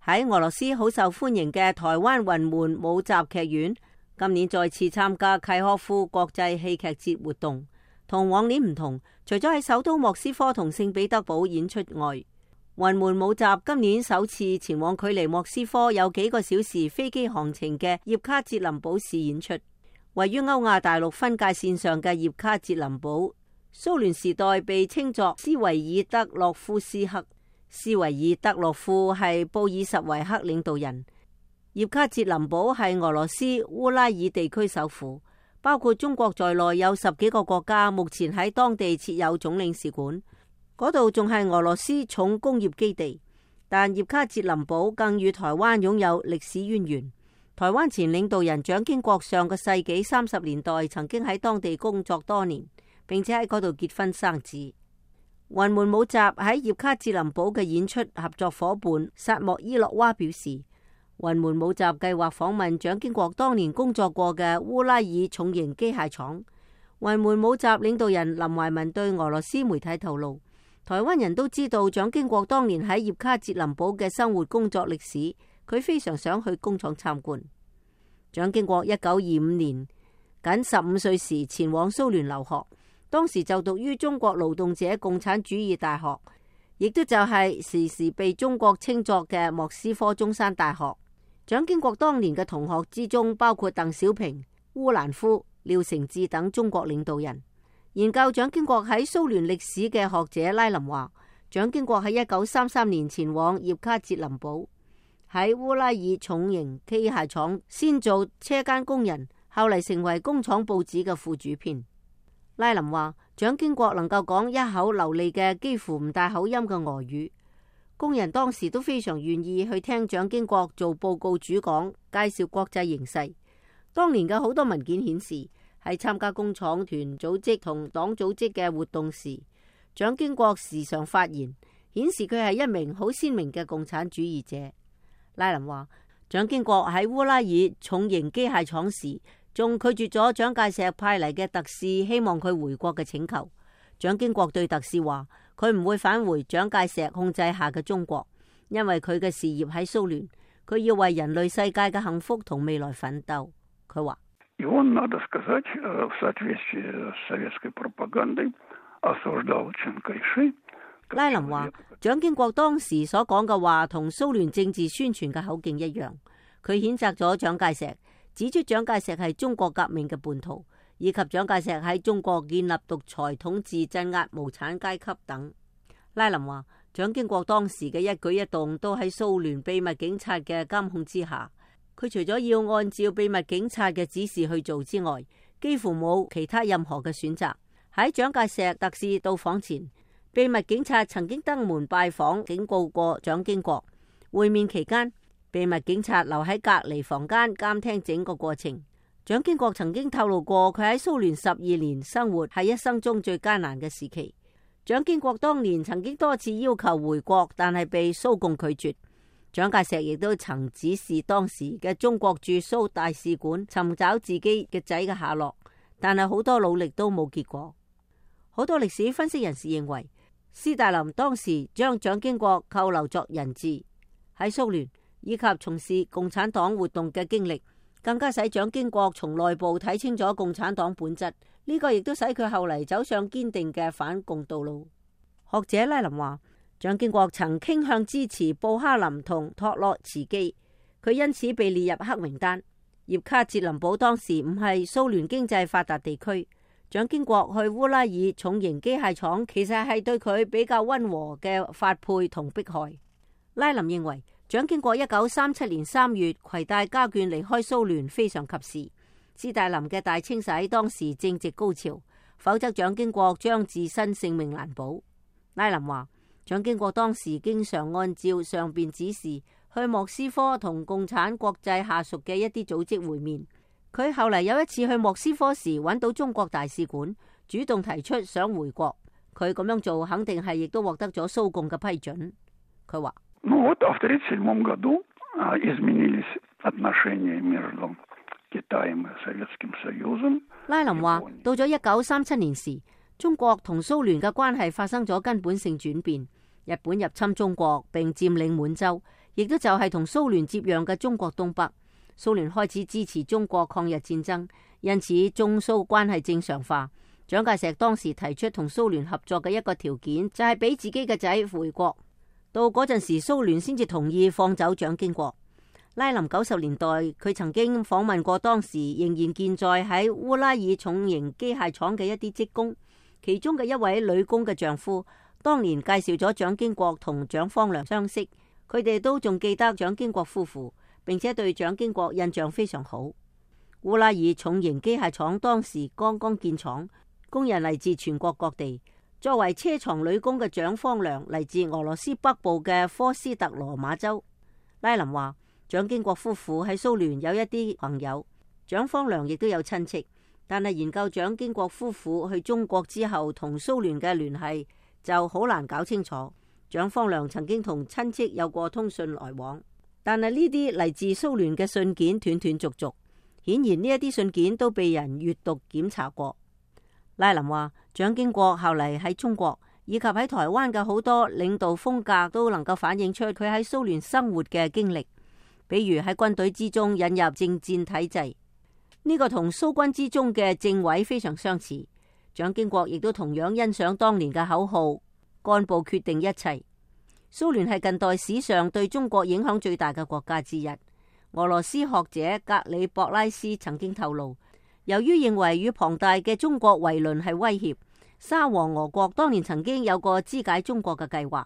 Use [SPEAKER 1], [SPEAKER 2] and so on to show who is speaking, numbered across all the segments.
[SPEAKER 1] 喺俄羅斯好受歡迎嘅台灣雲門舞集劇院，今年再次參加契訶夫國際戲劇節活動。同往年唔同，除咗喺首都莫斯科同聖彼得堡演出外，雲門舞集今年首次前往距離莫斯科有幾個小時飛機航程嘅葉卡捷林堡市演出。位於歐亞大陸分界線上嘅葉卡捷林堡，蘇聯時代被稱作斯維爾德洛夫斯克。斯維爾德洛夫係布爾什維克領導人。葉卡捷林堡係俄羅斯烏拉爾地區首府，包括中國在內有10幾個國家目前喺當地設有總領事館。嗰度仲係俄羅斯重工業基地。但葉卡捷林堡更與台灣擁有歷史淵源。台灣前領導人蔣經國上個世紀30年代曾經喺當地工作多年，並且喺嗰度結婚生子。雲門舞集喺葉卡捷林堡嘅演出合作夥伴薩莫伊洛娃表示，雲門舞集計劃訪問蔣經國當年工作過嘅烏拉爾重型機械廠。雲門舞集領導人林懷民對俄羅斯媒體透露，台灣人都知道蔣經國當年喺葉卡捷林堡嘅生活工作歷史，佢非常想去工廠參觀。蔣經國1925年僅15歲時前往蘇聯留學，當時就讀於中國勞動者共產主義大學，亦都就係時時被中國稱作嘅莫斯科中山大學。蔣經國當年嘅同學之中包括鄧小平、烏蘭夫、廖承志等中國領導人。研究蔣經國喺蘇聯歷史嘅學者拉林話，蔣經國喺1933年前往葉卡捷林堡，喺烏拉爾重型機械廠先做車間工人，後嚟成為工廠報紙嘅副主編。拉林話，蔣經國能夠講一口流利嘅幾乎唔帶口音嘅俄語，工人當時都非常願意去聽蔣經國做報告主講，介紹國際形勢。當年嘅好多文件顯示，喺參加工廠團組織同黨組織嘅活動時，蔣經國時常發言，顯示佢係一名好鮮明嘅共產主義者。拉林話，蔣經國喺烏拉爾重型機械廠時，仲拒絕咗蔣介石派嚟嘅特使希望佢回國嘅請求。蔣經國對特使話，佢唔會返回蔣介石控制下嘅中國，因為佢嘅事業喺蘇聯，佢要為人類世界嘅幸福同未來奮鬥。佢話，拉林話，蔣經國當時所講嘅話同蘇聯政治宣傳嘅口徑一樣，佢譴責咗蔣介石，指出蔣介石係中國革命嘅叛徒，以及蔣介石喺中國建立獨裁統治、鎮壓無產階級等。拉林話，蔣經國當時嘅一舉一動都喺蘇聯秘密警察嘅監控之下，佢除咗要按照秘密警察嘅指示去做之外，幾乎冇其他任何嘅選擇。喺蔣介石特使到訪前，秘密警察曾經登門拜訪，警告過蔣經國。會面期間，秘密警察留喺隔離房間監聽整個過程。蔣經國曾經透露過，佢喺蘇聯12年生活係一生中最艱難嘅時期。蔣經國當年曾經多次要求回國，但係被蘇共拒絕。蔣介石亦都曾指示當時嘅中國駐蘇大使館尋找自己嘅仔嘅下落，但係好多努力都冇結果。好多歷史分析人士認為，斯大林當時將蔣經國扣留作人質。喺蘇聯以及從事共產黨活動嘅經歷，更加使蔣經國從內部睇清楚共產黨本質。呢個亦都使佢後嚟走上堅定嘅反共道路。學者拉林話，蔣經國曾傾向支持布哈林同托洛茨基，佢因此被列入黑名單。葉卡捷林堡當時唔係蘇聯經濟發達地區，蔣經國去烏拉爾重型機械廠，其實係對佢比較溫和嘅發配同迫害。拉林認為，蔣經國1937年3月攜帶家眷離開蘇聯非常及時。斯大林嘅大清洗當時正值高潮，否則蔣經國將自身性命難保。拉林話，蔣經國當時經常按照上邊指示去莫斯科同共產國際下屬嘅一啲組織會面。佢後嚟有一次去莫斯科時，揾到中國大使館，主動提出想回國。佢咁樣做肯定係亦都獲得咗蘇共嘅批准。佢話，拉林話，到咗1937年時，中國同蘇聯嘅關係發生咗根本性轉變。日本入侵中國並佔領滿洲，亦都就係同蘇聯接壤嘅中國東北。蘇聯開始支持中國抗日戰爭，因此中蘇關係正常化。蔣介石當時提出同蘇聯合作嘅一個條件，就係俾自己嘅仔回國。到嗰陣時，蘇聯先至同意放走蔣經國。拉林90年代，佢曾經訪問過當時仍然健在喺烏拉爾重型機械廠嘅一啲職工，其中嘅一位女工嘅丈夫，當年介紹咗蔣經國同蔣方良相識，佢哋都仲記得蔣經國夫婦，並且對蔣經國印象非常好。烏拉爾重型機械廠當時剛剛建廠，工人嚟自全國各地。作為車床女工嘅蔣方良嚟自俄羅斯北部嘅科斯特羅馬州。拉林話，蔣經國夫婦喺蘇聯有一啲朋友，蔣方良亦都有親戚，但係研究蔣經國夫婦去中國之後同蘇聯嘅聯繫就好難搞清楚。蔣方良曾經同親戚有過通訊來往，但係呢啲嚟自蘇聯嘅信件斷斷續續，顯然呢一啲信件都被人閱讀檢查過。拉林話，蔣經國後嚟喺中國以及喺台灣嘅好多領導風格都能夠反映出佢喺蘇聯生活嘅經歷，比如喺軍隊之中引入政戰體制，呢個同蘇軍之中嘅政委非常相似。蔣經國亦都同樣欣賞當年嘅口號，幹部決定一切。蘇聯係近代史上對中國影響最大嘅國家之一。俄羅斯學者格里博拉斯曾經透露，由於認為與龐大嘅中國為鄰係威脅，沙俄俄國當年曾經有個肢解中國嘅計劃。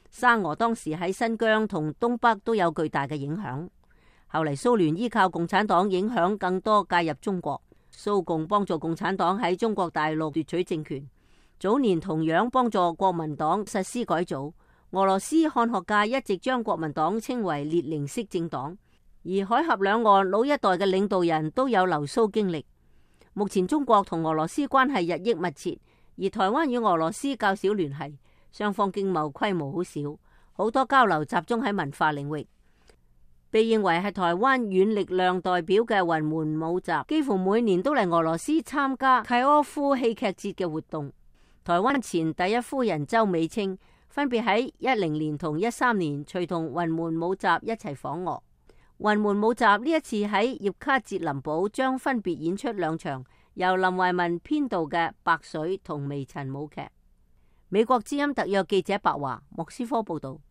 [SPEAKER 1] 沙俄當時喺新疆同東北都有巨大嘅影響。後嚟蘇聯依靠共產黨影響更多介入中國，蘇共幫助共產黨喺中國大陸奪取政權。早年同樣幫助國民黨實施改組。俄羅斯漢學界一直將國民黨稱為列寧式政黨，而海峽兩岸老一代嘅領導人都有留蘇經歷。目前中國同俄羅斯關係日益密切，而台灣與俄羅斯較少聯繫，雙方經貿規模好少，好多交流集中喺文化領域。被認為係台灣軟力量代表嘅雲門舞集，幾乎每年都嚟俄羅斯參加契訶夫戲劇節嘅活動。台灣前第一夫人周美青分別喺10年同13年隨同雲門舞集一齊訪俄。雲門舞集呢一次喺葉卡捷林堡將分別演出2場由林懷民編導嘅《白水》同《微塵》舞劇。美國之音特約記者白華莫斯科報道。